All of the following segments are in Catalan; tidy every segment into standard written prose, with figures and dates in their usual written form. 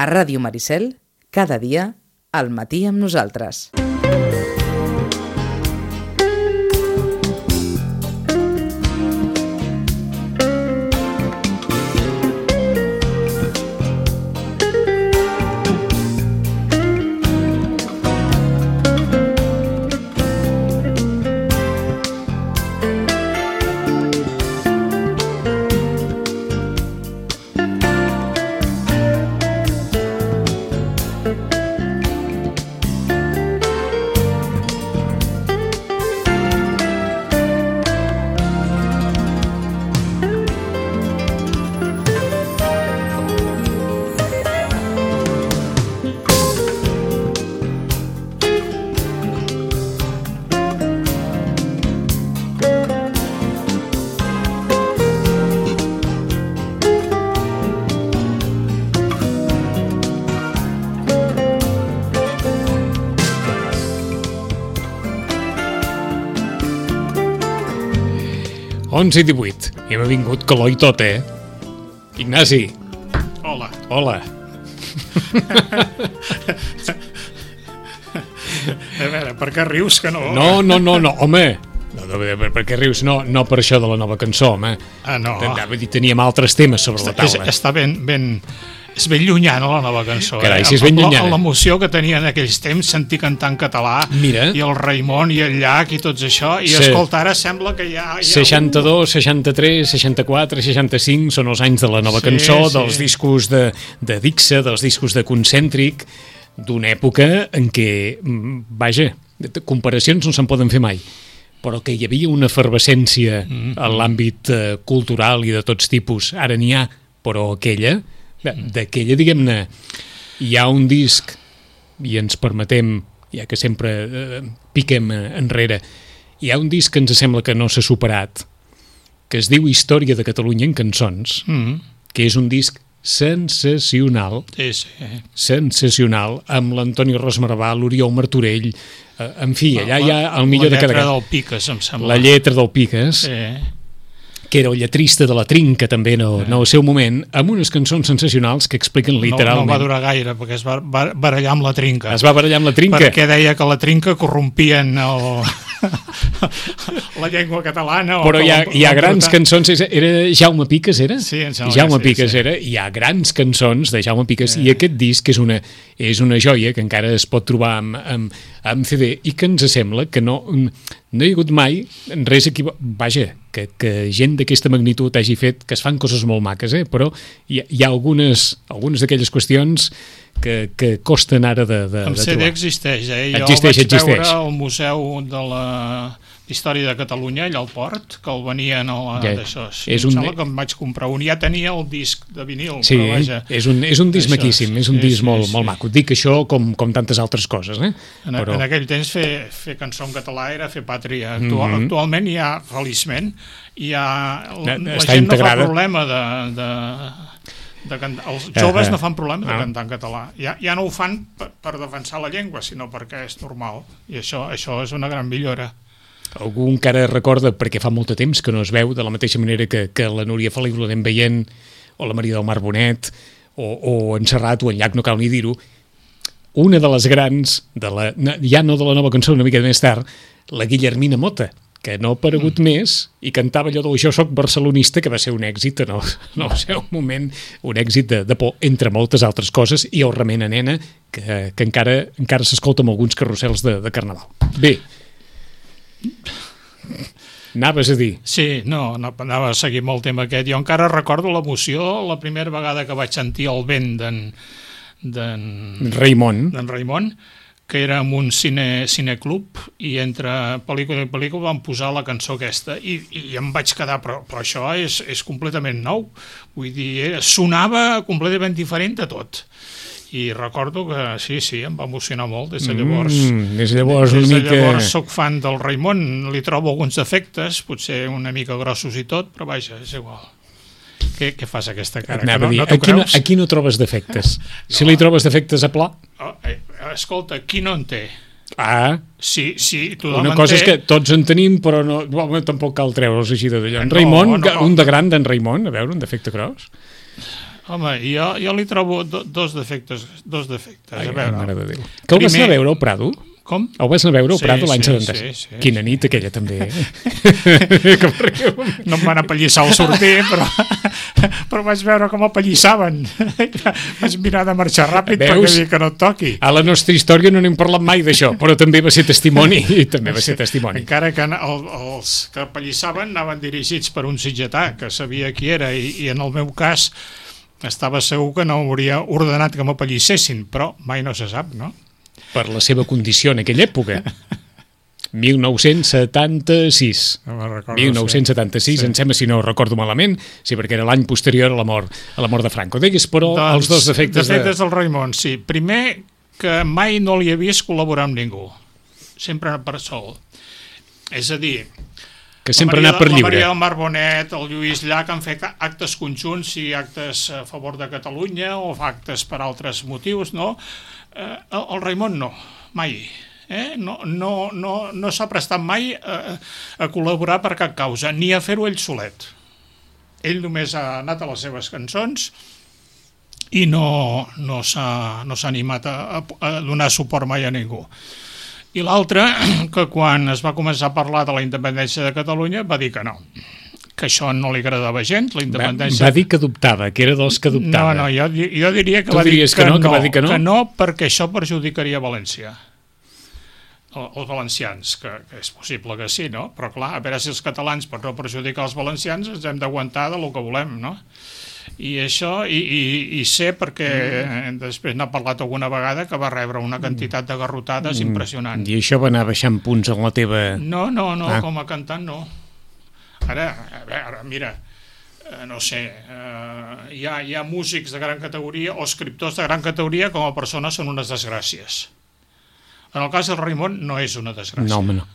A Ràdio Maricel, cada dia, al matí amb nosaltres. I 18. I hem vingut calor i tot, Ignasi. Hola. Hola. A veure, per què rius que no? No, home. No, per què rius? No per això de la nova cançó, home. Ah, no. Teníem altres temes sobre la taula. Està és ben llunyana la nova cançó. Carai, si és ben llunyana. L'emoció que tenia en aquells temps, sentir cantar en català. Mira. I el Raimon i el Llach i tots això. I escolta, ara sembla que hi ha 62, 63, 64, 65 són els anys de la nova cançó, dels discos de Dixa, dels discos de Concèntric, d'una època en què, vaja, comparacions no se'n poden fer mai, però que hi havia una efervescència en l'àmbit cultural i de tots tipus. Ara n'hi ha, però d'aquella, diguem-ne, hi ha un disc, i ens permetem, ja que sempre piquem enrere, hi ha un disc que ens sembla que no s'ha superat, que es diu Història de Catalunya en cançons, que és un disc sensacional, sensacional, amb l'Antoni Rosmarvà, l'Oriol Martorell, en fi, allà hi ha el millor de cada... La lletra del Piques, em sembla. La lletra del Piques, que era el lletrista de la Trinca també en el seu moment, amb unes cançons sensacionals que expliquen literalment... No va durar gaire, perquè es va barallar amb la Trinca. Es va barallar amb la Trinca? Perquè deia que la Trinca corrompien la llengua catalana. Però hi ha grans cançons... Era Jaume Piques, era? Sí, em sembla Jaume Piques era. Hi ha grans cançons de Jaume Piques i aquest disc és una joia que encara es pot trobar amb CD i que ens sembla que no hi ha hagut mai res vaja, que gent d'aquesta magnitud hagi fet, que es fan coses molt maques, però hi ha algunes d'aquelles qüestions que costen ara de trobar. El CD existeix, Jo existeix. vaig veure al Museu de la Història de Catalunya, allà al Port, que el venien d'això. Em sembla que em vaig comprar un. Ja tenia el disc de vinil, sí, però vaja... és un disc maquíssim, és un disc molt maco. Dic això com tantes altres coses, En aquell temps fer cançó en català era fer pàtria. Actualment hi ha, feliçment, la gent no fa problema de cantar. Els joves no fan problema de cantar en català. Ja no ho fan per defensar la llengua, sinó perquè és normal. I això és una gran millora. Algú encara recorda, perquè fa molt de temps que no es veu, de la mateixa manera que la Núria Feliu l'anem veient, o la Maria del Mar Bonet, o en Serrat, o en Llach, no cal ni dir-ho, una de les grans, ja no de la nova cançó, una mica més tard, la Guillermina Mota, que no ha aparegut més i cantava allò del Jo soc barcelonista, que va ser un èxit en el seu moment, un èxit de por, entre moltes altres coses, i el Remena Nena, que encara s'escolta amb alguns carrusels de carnaval. Bé, anaves a dir? Sí, anava a seguir molt el tema aquest. Jo encara recordo l'emoció la primera vegada que vaig sentir el vent d'en Raimon, que era en un cineclub, i entre pel·lícula i pel·lícula van posar la cançó aquesta i em vaig quedar, però això és completament nou, vull dir, sonava completament diferent de tot. I recordo que sí, em va emocionar molt des de llavors. Des de llavors soc fan del Raimon, li trobo alguns defectes, potser una mica grossos i tot, però vaja, és igual. Què fas aquesta cara? No t'ho creus? Aquí no trobes defectes. Si li trobes defectes a pla... Escolta, qui no en té? Sí, tothom una cosa és que tots en tenim, però tampoc cal treure'ls així de d'allò. En Raimon, un de gran d'en Raimon, a veure, un defecte gros. Home, jo li trobo dos defectes. Ai, a veure. Mare de Déu. Que el vas anar a veure al Prado? Com? El vas anar a veure al Prado l'any 76? Sí. Quina nit aquella també, No em van apallissar al sortir, però vaig veure com apallissaven. Vaig mirar de marxar ràpid perquè dir que no et toqui. A la nostra història no n'hem parlat mai d'això, però també va ser testimoni. Encara que els que apallissaven anaven dirigits per un sitgetà que sabia qui era i en el meu cas estava segur que no hauria ordenat que m'apallissessin, però mai no se sap, no? Per la seva condició en aquella època. 1976. No me'n recordo. 1976, em sembla, si no recordo malament, sí, perquè era l'any posterior a la mort de Franco. Digues, però, els dos defectes del Raimon, sí. Primer, que mai no li he vist col·laborar amb ningú. Sempre per sol. És a dir, que sempre ha anat per lliure. La Maria del Mar Bonet, el Lluís Llach han fet actes conjunts, i actes a favor de Catalunya o actes per altres motius, no? El Raimon no, mai. No s'ha prestat mai a col·laborar per cap causa, ni a fer-ho ell solet. Ell només ha anat a les seves cançons i no s'ha animat a donar suport mai a ningú. I l'altre, que quan es va començar a parlar de la independència de Catalunya va dir que no, que això no li agradava gens, la independència... Va dir que dubtava, que era dels que dubtava. No, jo diria que va dir que no, perquè això perjudicaria València. Els valencians, que és possible que sí, no? Però clar, a veure si els catalans, per no perjudicar els valencians, ens hem d'aguantar de lo que volem, no? I això, i sé perquè després n'ha parlat alguna vegada que va rebre una quantitat de garrotades impressionant. I això va anar baixant punts en la teva... No, com a cantant no. Ara, mira, no sé, hi ha músics de gran categoria o escriptors de gran categoria com a persones són unes desgràcies. En el cas del Raimon no és una desgràcia. No, home, no.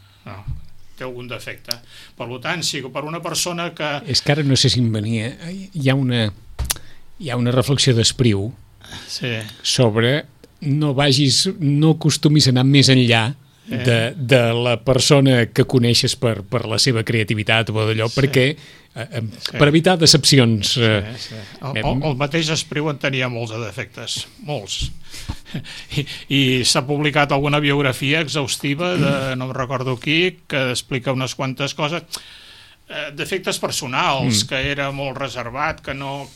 Té algun defecte. Per tant, si per una persona que... És que ara no sé si em venia... Hi ha una reflexió d'Espriu sobre no acostumis a anar més enllà de la persona que coneixes per la seva creativitat o d'allò, perquè per evitar decepcions... El mateix Espriu en tenia molts de defectes, molts. I s'ha publicat alguna biografia exhaustiva de no recordo qui, que explica unes quantes coses, defectes personals, que era molt reservat, que no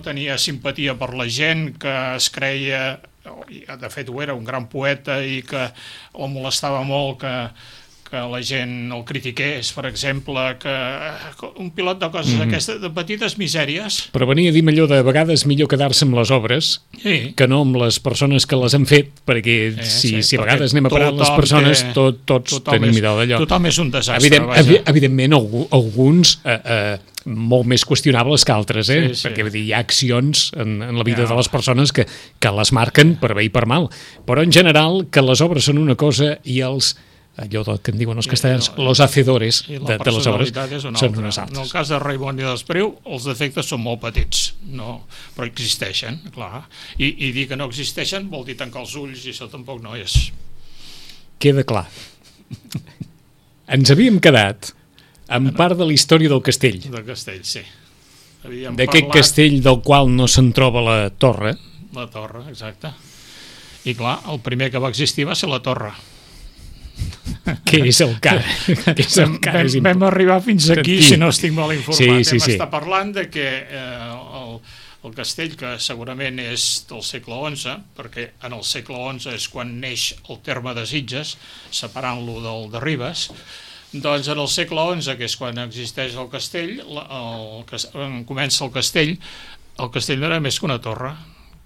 tenia simpatia per la gent, que es creia, de fet ho era, un gran poeta, i que el molestava molt que la gent el critiqués, per exemple, que un pilot de coses aquestes, de petites misèries. Però venia a dir allò de vegades millor quedar-se amb les obres que no amb les persones que les han fet, perquè si a vegades anem a parar les persones, tots tenim idea d'allò. Tothom és un desastre. Evidentment, alguns molt més qüestionables que altres, perquè hi ha accions en la vida de les persones que les marquen per bé i per mal. Però en general, que les obres són una cosa i allò que en diuen els castellans, los hacedores de les obres són unes altres. En el cas de Raimon i d'Espriu, els defectes són molt petits, però existeixen, clar. I dir que no existeixen vol dir tancar els ulls, i això tampoc no és. Queda clar. Ens havíem quedat en part de la història del castell. Del castell, sí. D'aquest castell del qual no se'n troba la torre. La torre, exacte. I clar, el primer que va existir va ser la torre. Què és el cara? Vam arribar fins aquí, si no estic mal informat. Vam estar parlant de que el castell, que segurament és del segle XI, perquè en el segle XI és quan neix el terme de Sitges, separant-lo del de Ribes, doncs en el segle XI, que és quan existeix el castell, comença el castell no era més que una torre,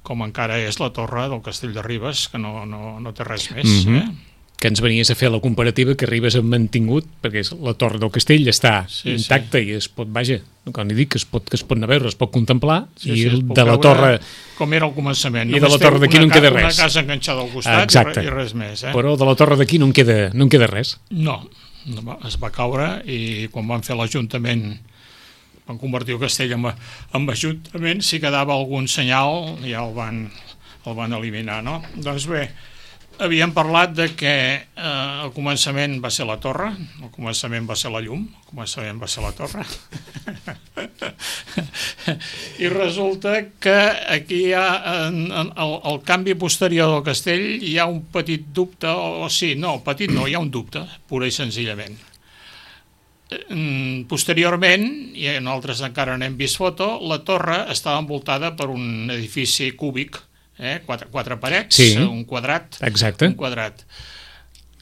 com encara és la torre del castell de Ribes, que no té res més, que ens venies a fer la comparativa que Ribes ha mantingut, perquè la torre del castell està intacta i es pot, quan li dic que es pot anar a veure, es pot contemplar, i de la torre... Com era al començament. I de la torre d'aquí no en queda res. Una casa enganxada al costat i res més. Però de la torre d'aquí no en queda res. No, es va caure, i quan van fer l'Ajuntament, van convertir el castell en ajuntament, si quedava algun senyal ja el van eliminar, no? Doncs bé, Havíem parlat de que al començament va ser la torre, al començament va ser la llum, al començament va ser la torre. I resulta que aquí hi ha el canvi posterior del castell, hi ha un petit dubte, hi ha un dubte, pura i senzillament. Posteriorment, i nosaltres encara n'hem vist foto, la torre estava envoltada per un edifici cúbic, quatre parets, sí, un quadrat. Exacte. Un quadrat.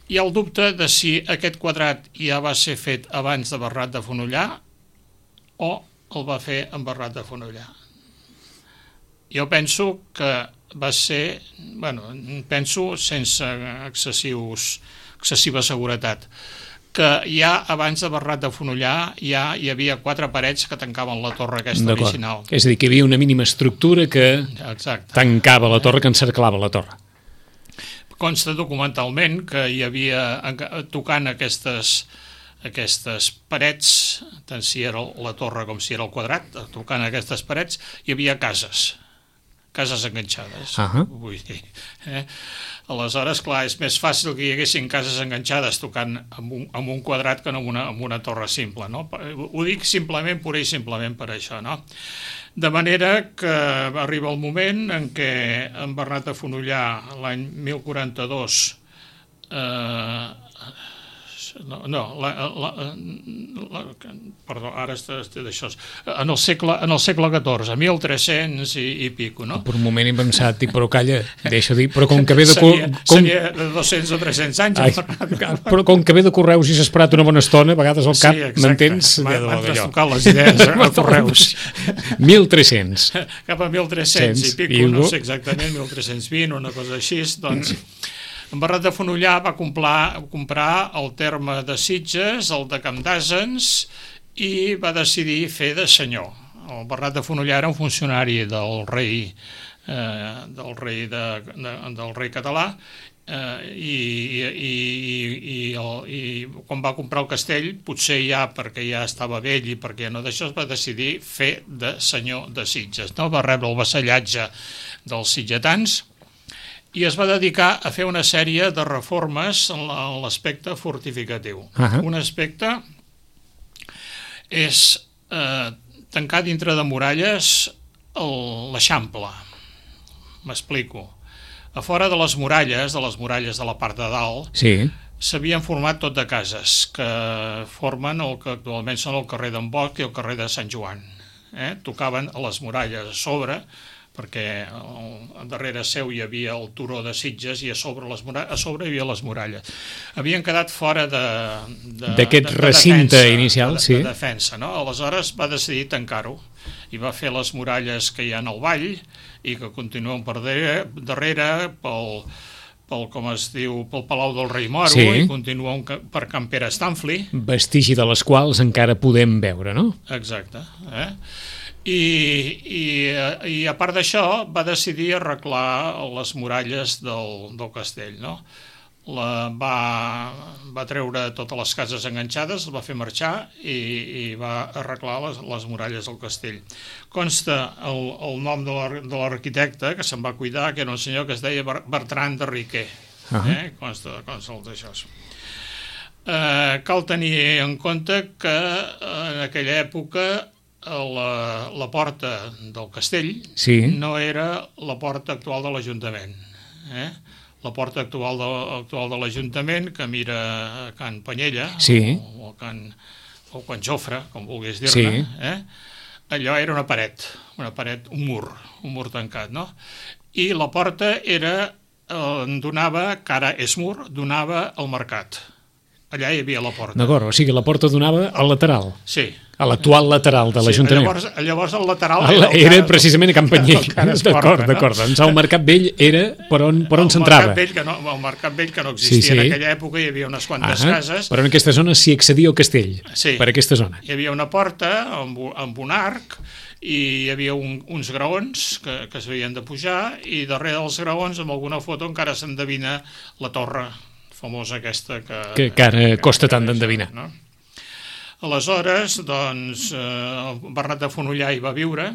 Hi ha el dubte de si aquest quadrat ja va ser fet abans de Bernat de Fonollar o el va fer en Bernat de Fonollar. Jo penso que va ser, penso sense excessiva seguretat, que ja abans de Bernat de Fonollar ja hi havia 4 parets que tancaven la torre aquesta original. És a dir, que hi havia una mínima estructura que tancava la torre, que encerclava la torre. Consta documentalment que hi havia, tocant aquestes parets, tant si era la torre com si era el quadrat, tocant aquestes parets, hi havia cases enganxades. Vull dir, aleshores, clar, és més fàcil que hi haguessin cases enganxades tocant amb un quadrat que no amb una torre simple, no? Ho dic simplement, pura i simplement per això, no? De manera que arriba el moment en què en Bernat de Fonollar, l'any 1042, perdó, ara estic d'això, en el segle XIV, 1300 i pico, no? Per un moment he pensat, però calla, deixa dir, però com que ve de... Seria de 200 o 300 anys. Però com que ve de Correus i s'ha esperat una bona estona, a vegades al cap, m'entens? M'han trastocat les idees a Correus. 1300. Cap a 1300 i pico, no sé exactament, 1320, una cosa així, doncs... En Bernat de Fonollar va comprar el terme de Sitges, el de Camp d'Àsens, i va decidir fer de senyor. El Bernat de Fonollar era un funcionari del rei català, i quan va comprar el castell, potser ja perquè ja estava vell i perquè ja no d'això, es va decidir fer de senyor de Sitges, no? Va rebre el vassallatge dels sitgetans i es va dedicar a fer una sèrie de reformes en l'aspecte fortificatiu. Un aspecte és tancar dintre de muralles l'Eixample. M'explico. A fora de les muralles de la part de dalt, s'havien format tot de cases que formen el que actualment són el carrer d'en Bosch i el carrer de Sant Joan. Tocaven a les muralles a sobre, perquè darrere seu hi havia el turó de Sitges i a sobre hi havia les muralles. Havien quedat fora d'aquest recinte inicial, de defensa, no? Aleshores va decidir tancar-ho i va fer les muralles que hi ha al vall i que continuen per darrere pel com es diu, pel Palau del Rei Moro, i continuen per Can Pere Stanfli. Vestigi de les quals encara podem veure, no? Exacte. I a part d'això va decidir arreglar les muralles del castell, no? Va treure totes les cases enganxades, les va fer marxar i va arreglar les muralles del castell. Consta el nom de l'arquitecte que se'n va cuidar, que era un senyor que es deia Bertran de Riquer. Consta d'això. Cal tenir en compte que en aquella època la porta del castell no era la porta actual de l'Ajuntament. La porta actual de l'Ajuntament, que mira Can Panyella o Can Jofre, com vulguis dir-ne, allò era una paret, un mur tancat, no? I la porta donava, que ara és mur, donava al mercat. Allà hi havia la porta. D'acord, o sigui, la porta donava al lateral. Sí. A l'actual lateral de l'Ajuntament. Llavors el lateral... Era precisament a Can Panyell. D'acord. Doncs el Mercat Vell era per on s'entrava. El Mercat Vell que no existia. En aquella època hi havia unes quantes cases. Però en aquesta zona s'hi accedia al castell. Per aquesta zona. Hi havia una porta amb un arc i hi havia uns graons que es havien de pujar i darrere dels graons, amb alguna foto, encara s'endevina la torre famosa aquesta que ara costa tant d'endevinar. Aleshores, doncs, Bernat de Fonollar hi va viure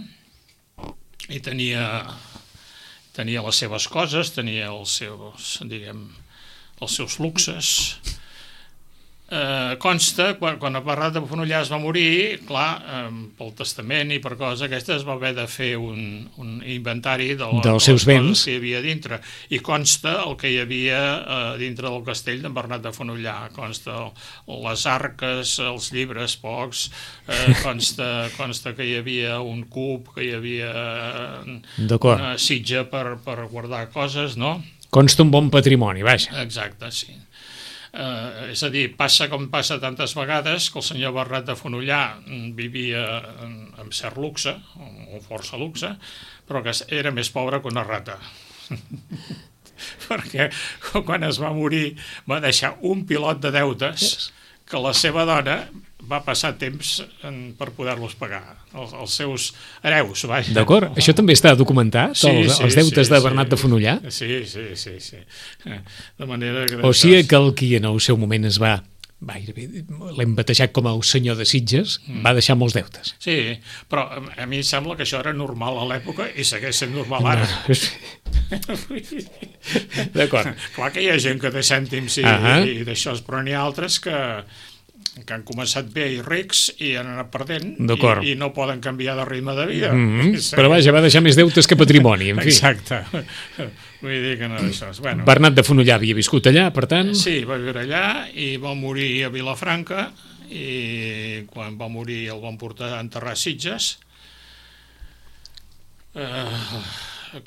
i tenia tenia les seves coses, tenia els seus luxes. Consta, quan el Bernat de Fenollar es va morir, clar, pel testament i per coses aquestes va haver de fer un inventari dels seus béns que hi havia dintre, i consta el que hi havia dintre del castell d'en Bernat de Fenollar. Consta les arques, els llibres pocs, consta que hi havia un cub, que hi havia una sitja per guardar coses, no? Consta un bon patrimoni, vaja. Exacte, sí. És a dir, passa com passa tantes vegades que el senyor Bernat de Fenollar vivia amb cert luxe, o força luxe, però que era més pobre que una rata. Perquè quan es va morir va deixar un pilot de deutes que la seva dona va passar temps per poder-los pagar, els seus hereus. D'acord, això també està documentat, els deutes de Bernat de Fenollar? Sí. De manera que... O sigui que el qui en el seu moment es va, l'hem batejat com el senyor de Sitges, va deixar molts deutes. Sí, però a mi em sembla que això era normal a l'època i segueix sent normal ara. D'acord. Clar que hi ha gent que té cèntims i d'això, però n'hi ha altres que han començat bé i rics i han anat perdent i no poden canviar de ritme de vida. Però vaja, va deixar més deutes que patrimoni, en fi. Exacte. Vull dir que no és això. Bernat de Fenollar havia viscut allà, per tant... Sí, va viure allà i va morir a Vilafranca, i quan va morir el van portar a enterrar a Sitges.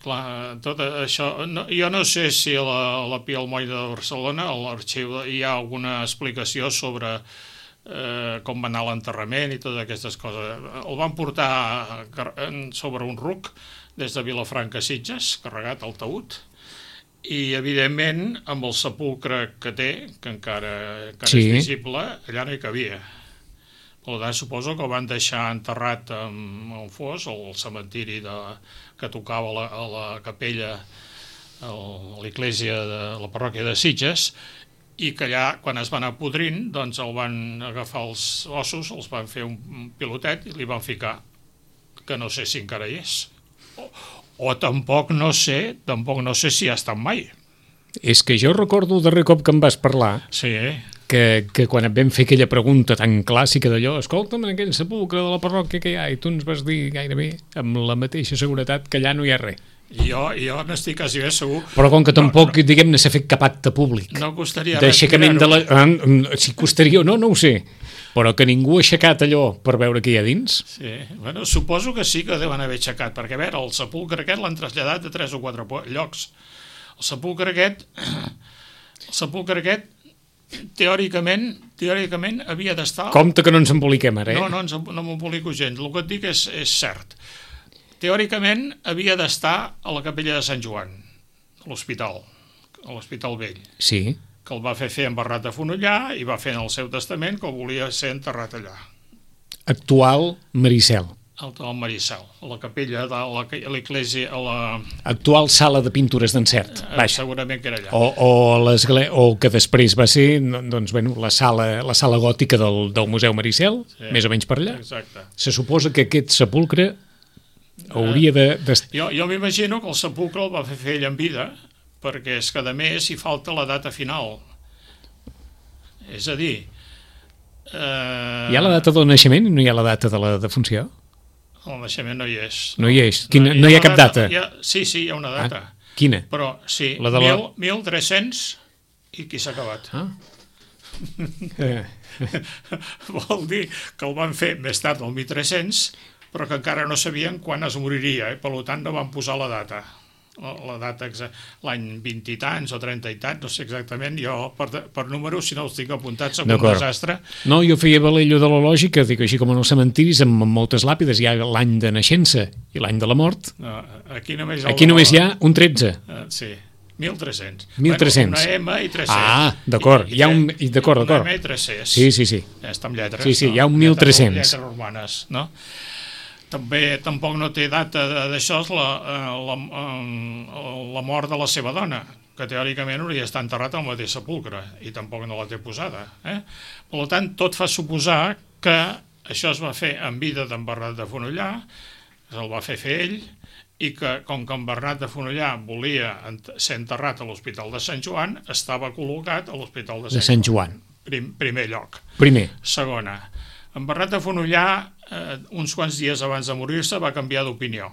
Clar, tot això... Jo no sé si a la Pia Almoina de Barcelona, a l'arxiu, hi ha alguna explicació sobre com va anar l'enterrament i totes aquestes coses. El van portar sobre un ruc des de Vilafranca a Sitges, carregat al taüt, i evidentment amb el sepulcre que té, que encara és visible, allà no hi cabia. Per tant, suposo que el van deixar enterrat en Fos, al cementiri que tocava a la capella, a l'església de la parròquia de Sitges, i que allà, quan es van anar podrint, doncs el van agafar els ossos, els van fer un pilotet i li van ficar, que no sé si encara hi és. O tampoc no sé si ha estat mai. És que jo recordo el darrer cop que em vas parlar, que quan et vam fer aquella pregunta tan clàssica d'allò, escolta'm, en aquell sepulcre de la parròquia que hi ha, i tu ens vas dir gairebé amb la mateixa seguretat que allà no hi ha res. Jo n'estic quasi bé segur. Però com que tampoc, diguem-ne, s'ha fet cap acte públic. No costaria d'aixecament de la... Si costaria o no, no ho sé. Però que ningú ha aixecat allò per veure què hi ha dins? Sí, bueno, suposo que sí que deuen haver aixecat, perquè a veure, el sepulcre aquest l'han traslladat de 3 o 4 llocs. El sepulcre aquest teòricament havia d'estar... Compte que no ens emboliquem ara, No m'embolico gens. El que et dic és cert. Teòricament havia d'estar a la capella de Sant Joan, a l'Hospital Vell. Sí. Que el va fer en Bernat de Fenollar i va fer en el seu testament que volia ser enterrat allà. Actual Maricel. Al Maricel, a la capella de l'església... Actual sala de pintures d'encert. Segurament que era allà. O que després va ser la sala gòtica del Museu Maricel, més o menys per allà. Exacte. Se suposa que aquest sepulcre hauria de... Jo m'imagino que el sepulcre el va fer ell en vida, perquè és que a més hi falta la data final. És a dir... Hi ha la data del naixement i no hi ha la data de la defunció? El naixement no hi és. No hi és? No hi ha cap data? Sí, hi ha una data. Quina? Però sí, 1300 i qui s'ha acabat. Vol dir que el van fer més tard del 1300, però que encara no sabien quan es moriria, per tant no van posar la data. L'any 20 i tants o 30 i tants, no sé exactament, jo per números, si no els tinc apuntats, som un desastre. No, jo feia valer allò de la lògica, dic així com en els cementiris, amb moltes làpides, hi ha l'any de naixença i l'any de la mort. Aquí només hi ha un 13. Sí, 1300. 1300. Una M i 300. Ah, d'acord. D'acord. Una M i 300. Sí. Està amb lletres. Sí, hi ha un 1300. Lletres romanes, no? Tampoc no té data d'això la mort de la seva dona, que teòricament hauria d'estar enterrat al mateix sepulcre, i tampoc no la té posada. Per tant, tot fa suposar que això es va fer en vida d'en Bernat de Fenollar, el va fer ell, i que, com que en Bernat de Fonollà volia ser enterrat a l'Hospital de Sant Joan, estava col·locat a l'Hospital de Sant Joan. Primer lloc. Segona, en Bernat de Fonollà, uns quants dies abans de morir-se, va canviar d'opinió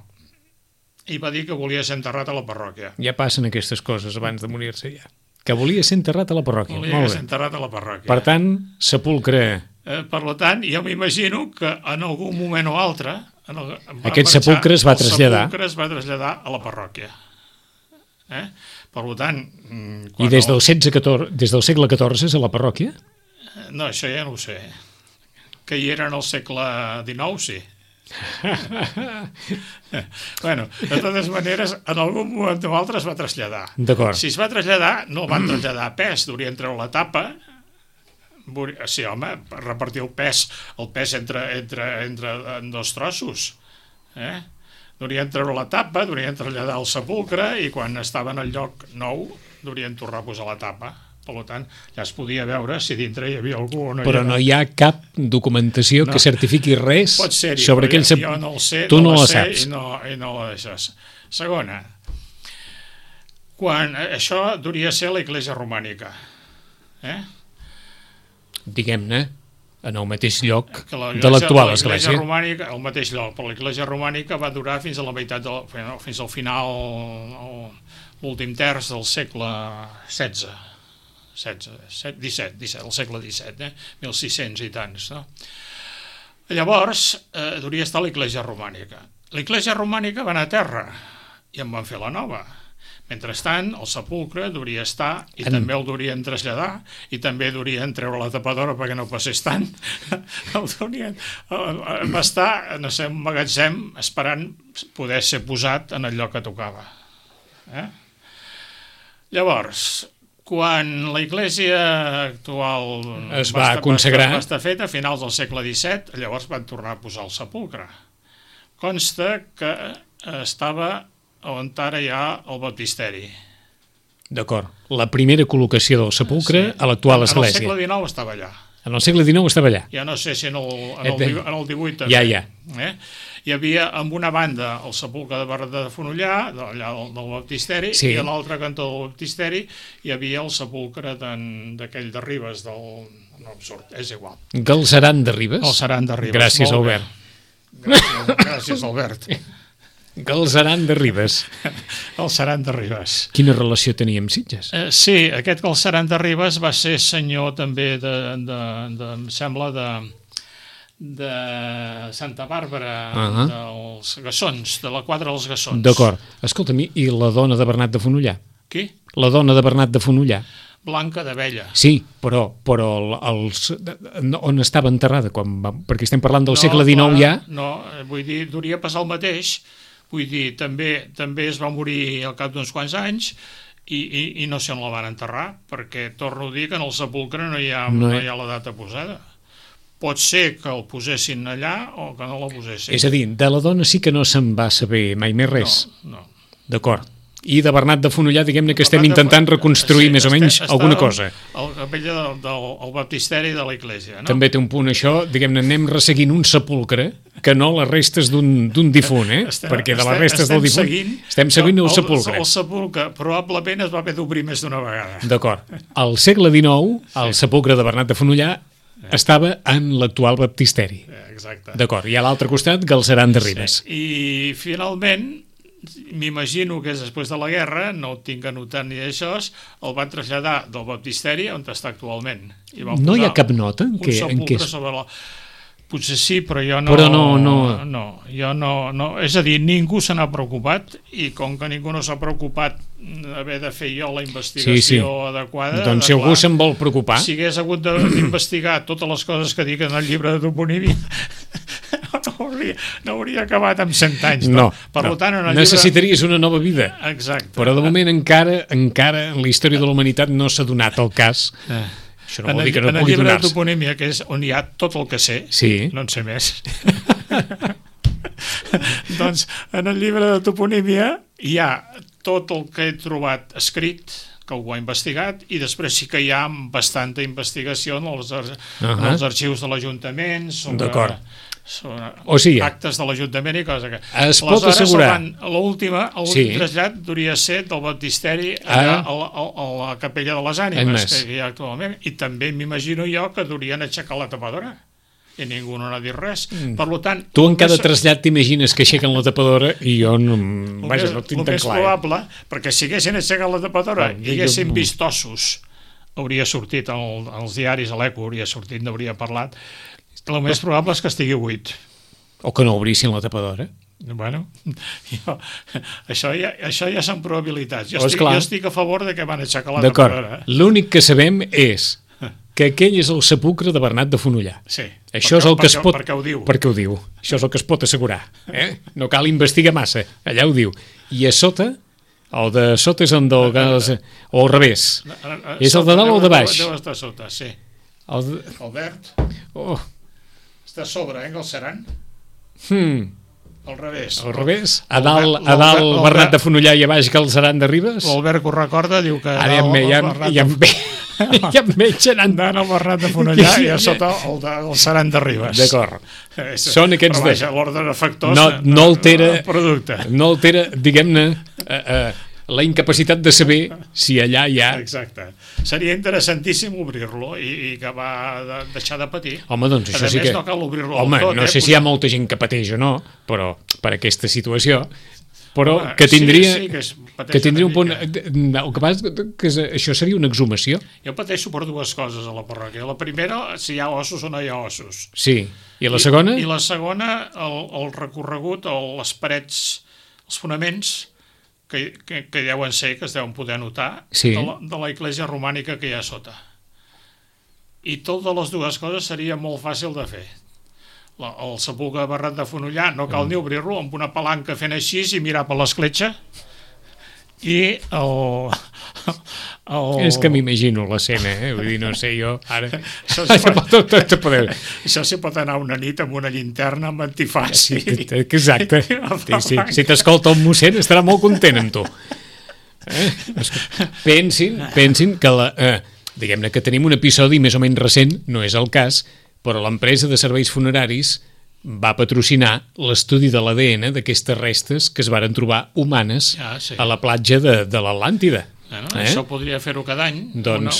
i va dir que volia ser enterrat a la parròquia. Ja passen aquestes coses abans de morir-se, ja. Que volia ser enterrat a la parròquia. Volia ser enterrat a la parròquia. Per tant, sepulcre... Per tant, jo m'imagino que en algun moment o altre aquest sepulcre es va traslladar. El sepulcre es va traslladar a la parròquia. Per tant... I des del segle XIV a la parròquia? No, això ja no ho sé. Que hi era en el segle XIX, sí. Bueno, de totes maneres, en algun moment o altre es va traslladar. D'acord. Si es va traslladar, no el van traslladar a pes, durien treure la tapa. Sí, home, repartir el pes entre dos trossos. Durien treure la tapa, durien traslladar el sepulcre i quan estava en el lloc nou durien tornar a posar la tapa. Per tant, ja es podia veure si dintre hi havia algú o no. Però no hi ha cap documentació que certifiqui res sobre aquell sepulcre. Jo no el sé, tu no la saps. I no la deixes. Segona, quan això duria ser la Iglesia romànica. Diguem-ne, en el mateix lloc de l'actual església. El mateix lloc, però l'Iglesia romànica va durar fins a la meitat, fins al final, l'últim terç del segle XVI. 17, el segle XVII, 1600 i tants, no? Llavors, duria estar l'Iglesia romànica. L'Iglesia romànica va anar a terra i en van fer la nova. Mentrestant, el sepulcre duria estar i també el durien traslladar i també durien treure la tapadora perquè no passés tant. Va estar, no sé, un magatzem esperant poder ser posat en el lloc que tocava. Llavors, quan la Iglésia actual es va consagrar, va estar feta a finals del segle XVII, llavors van tornar a posar el sepulcre. Consta que estava on ara hi ha el baptisteri. D'acord. La primera col·locació del sepulcre a l'actual església. En el segle XIX estava allà. En el segle XIX estava allà. Ja no sé si en el XVIII també. Ja. Hi havia, en una banda, el sepulcre de Bernat de Fonollà, allà del baptisteri, i a l'altre cantó del baptisteri hi havia el sepulcre d'aquell de Ribes, no absurd, és igual. Galceran de Ribes? Galceran de Ribes. Gràcies, Albert. Gràcies, Albert. Galceran de Ribes. Galceran de Ribes. Quina relació tenia amb Sitges? Sí, aquest Galceran de Ribes va ser senyor també em sembla, de Santa Bàrbara, dels Gassons, de la quadra dels Gassons. D'acord. Escolta'm, i la dona de Bernat de Fonollà? Qui? La dona de Bernat de Fonollà. Blanca d'Abella. Sí, però on estava enterrada? Perquè estem parlant del segle XIX ja. No, vull dir, duria passar el mateix. Vull dir, també es va morir al cap d'uns quants anys i no sé on la van enterrar, perquè torno a dir que en el sepulcre no hi ha la data posada. Pot ser que el posessin allà o que no la posessin. És a dir, de la dona sí que no se'n va saber mai més res. No. D'acord. I de Bernat de Fonollà, diguem-ne que estem intentant reconstruir més o menys alguna cosa. El capella del baptisteri de l'Església, no? També té un punt això, diguem-ne, anem resseguint un sepulcre que no les restes d'un difunt, perquè de les restes del difunt estem seguint el sepulcre. El sepulcre probablement es va haver d'obrir més d'una vegada. D'acord. Al segle XIX, el sepulcre de Bernat de Fonollà estava en l'actual baptisteri. Exacte. D'acord. I a l'altre costat, Galceran de Ribes. I finalment, m'imagino que és després de la guerra, no ho tinc anotat ni això, el van traslladar del baptisteri on està actualment. No hi ha cap nota en què... Un sepulcre sobre la... Potser sí, però jo no... Però no. Jo no. És a dir, ningú se n'ha preocupat i com que ningú no s'ha preocupat haver de fer jo la investigació adequada... Doncs si algú se'n vol preocupar... Si hagués hagut d'investigar totes les coses que dic en el llibre de toponímia, no hauria acabat amb 100 anys. No. Per tant, en el necessitaries una nova vida. Exacte. Però de moment encara en la història de la humanitat no s'ha donat el cas... Això no vol dir que no pugui donar-se. En el llibre de toponímia, que és on hi ha tot el que sé, no en sé més, doncs en el llibre de toponímia hi ha tot el que he trobat escrit, que algú ha investigat, i després sí que hi ha bastanta investigació en els arxius de l'Ajuntament O sigui, actes de l'Ajuntament i cosa que... Es pot assegurar... L'últim trasllat hauria de ser del baptisteri a la capella de les Ànimes, que hi ha actualment, i també m'imagino jo que durien aixecar la tapadora, i ningú no n'ha dit res. Per tant... Tu en cada trasllat t'imagines que aixequen la tapadora i jo no tinc tan clar. El més probable, perquè si haguessin aixecat la tapadora i haguessin vist ossos, hauria sortit als diaris, a l'Eco hauria sortit, n'hauria parlat. El més probable és que estigui buit. O que no obrissin la tapadora. Bueno, això ja són probabilitats. Jo estic a favor de que van aixecar la tapadora. L'únic que sabem és que aquell és el sepulcre de Bernat de Fonollar. Sí, això és el que es pot... perquè ho diu. Perquè ho diu. Això és el que es pot assegurar. No cal investigar massa. Allà ho diu. I a sota... El de sota és el del gas... O al revés. És el de dalt o el de baix? Deu estar sota, sí. El verd... Està a sobre, el Seran? Al revés. Al revés? A dalt Bernat de Fonollar i a baix Galceran de Ribes? L'Albert que ho recorda diu que... Ara ja em veig anant al Bernat de Fonollar i a sota el Galceran de Ribes. D'acord. Són aquests... Però vaja, l'ordre de factors no altera el producte. No altera, diguem-ne... la incapacitat de saber si allà hi ha... Exacte. Seria interessantíssim obrir-lo i que va deixar de patir. Home, doncs això sí que... no cal obrir-lo Home, tot. No sé si hi ha molta gent que pateix o no, però per aquesta situació... Però que tindria... Que tindria un punt... El que passa que això seria una exhumació. Jo pateixo per dues coses a la parròquia. La primera, si hi ha ossos o no hi ha ossos. Sí. I la segona? I la segona, el recorregut, les parets, els fonaments... que deuen ser, que es deuen poder notar, de la església romànica que hi ha sota. I totes les dues coses seria molt fàcil de fer. El sepulcre de Bernat de Fonollar no cal ni obrir-lo, amb una palanca fent així i mirar per l'escletxa, i És que m'imagino l'escena, vull dir, no sé, jo ara... Això s'hi pot anar una nit amb una llinterna amb antifàs. Exacte. Si t'escolta el mossèn estarà molt content amb tu. Pensin que diguem-ne que tenim un episodi més o menys recent, no és el cas, però l'empresa de serveis funeraris va patrocinar l'estudi de l'ADN d'aquestes restes que es varen trobar humanes a la platja de l'Atlàntida. Això podria fer-ho cada any,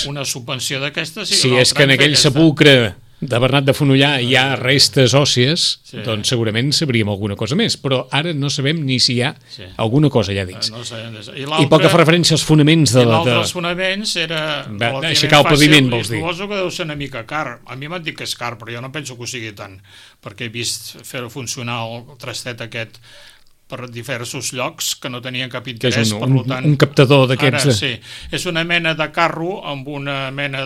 una subvenció d'aquestes. Si és que en aquell sepulcre de Bernat de Fonollar hi ha restes òssies, doncs segurament sabríem alguna cosa més, però ara no sabem ni si hi ha alguna cosa allà dins. I pel que fa referència als fonaments de... I l'altre dels fonaments era... Aixecar el paviment, vols dir? Suposo que deu ser una mica car. A mi m'han dit que és car, però jo no penso que ho sigui tant, perquè he vist fer funcionar el trastet aquest per diversos llocs que no tenien cap interès. Que és un captador d'aquests... Ara sí, és una mena de carro amb una mena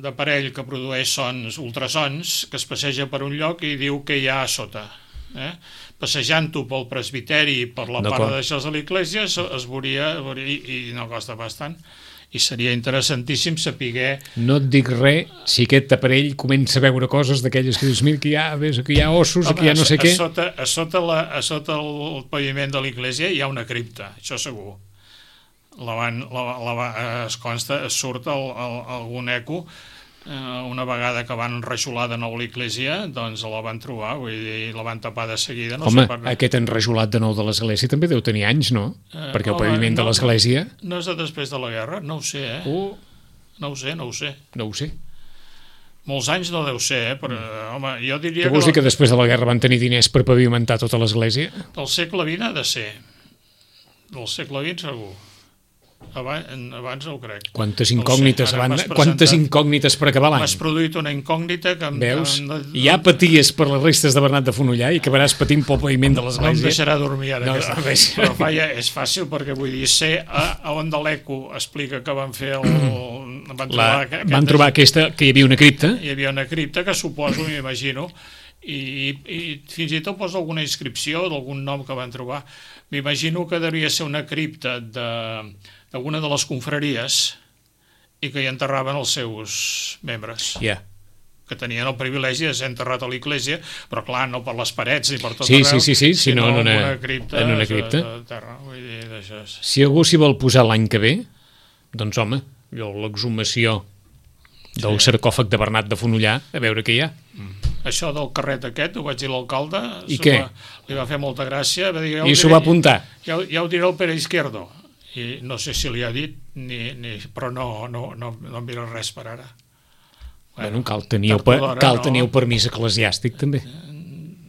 d'aparell que produeix ultrasons, que es passeja per un lloc i diu que hi ha a sota. Passejant-ho pel presbiteri i per la part d'això de l'església es veuria i no costa bastant. I seria interessantíssim saber... No et dic res si aquest aparell comença a veure coses d'aquelles que dius, mira, que hi ha ossos, que hi ha no sé què... A sota el paviment de l'església hi ha una cripta, això segur. Es consta, surt algun eco, una vegada que van enrajolar de nou l'església, doncs la van trobar, vull dir, la van tapar de seguida. Home, aquest enrajolat de nou de l'església també deu tenir anys, no? Perquè el paviment de l'església... No és de després de la guerra, no ho sé, No ho sé. No ho sé. Molts anys no deu ser, però, home, jo diria... Què vols dir que després de la guerra van tenir diners per pavimentar tota l'església? Del segle XX ha de ser. Del segle XX segur. Abans no ho crec. Quantes incògnites per acabar l'any. M'has produït una incògnita que... Veus? Ja paties per les restes de Bernat de Fonollar i acabaràs patint pel paviment de l'església. No em deixarà dormir ara. Però és fàcil perquè vull dir, sé on de l'Eco explica que van fer van trobar aquesta, que hi havia una cripta. Hi havia una cripta que suposo, m'imagino, i fins i tot posa alguna inscripció d'algun nom que van trobar. M'imagino que devia ser una cripta d'alguna de les confraries i que hi enterraven els seus membres. Que tenien el privilegi de ser enterrat a l'església, però clar, no per les parets ni per tot arreu, sinó en una cripta de terra. Si algú s'hi vol posar l'any que ve, doncs home, l'exhumació del sarcòfag de Bernat de Fonollar, a veure què hi ha. això del carret aquest, ho vaig dir a l'alcalde. I què? Li va fer molta gràcia. Va dir, I s'ho va apuntar? Ja ho diré el Pere Izquierdo. I no sé si li ha dit, però no mira res per ara. Bueno, cal tenir el permís eclesiàstic, també.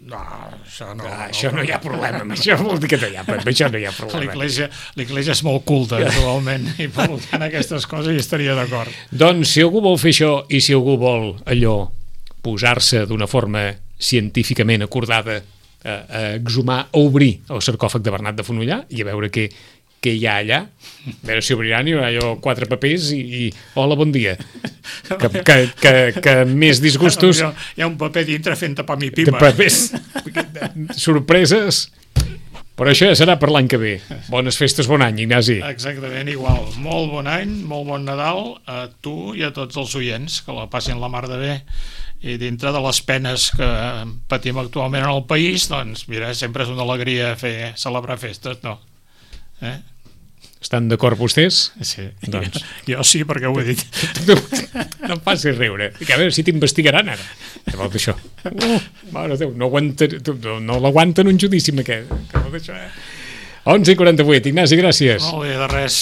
No, això no. Això no hi ha problema, això vol dir que no hi ha problema. L'Església és molt culta, actualment, i per tant aquestes coses hi estaria d'acord. Doncs si algú vol fer això i si algú vol allò posar-se d'una forma científicament acordada a exhumar, a obrir el sarcòfag de Bernat de Fonollar i a veure què hi ha allà, a veure si obriran, hi haurà allò 4 papers i hola, bon dia, que més disgustos hi ha un paper dintre fent tapar mi pipa de papers, sorpreses, però això ja serà per l'any que ve. Bones festes, bon any, Ignasi. Exactament, igual, molt bon any, molt bon Nadal a tu i a tots els oients, que la passin la mar de bé, i dintre de les penes que patim actualment en el país, doncs mira, sempre és una alegria celebrar festes, no? Estan d'acord vostès? Sí, doncs. Jo sí, perquè ho he dit. No em facis riure. A veure si t'investigaran ara. Llavors això. Mare de Déu, no l'aguanten un judici amb aquest. 11:48. Ignasi, gràcies. Molt bé, de res.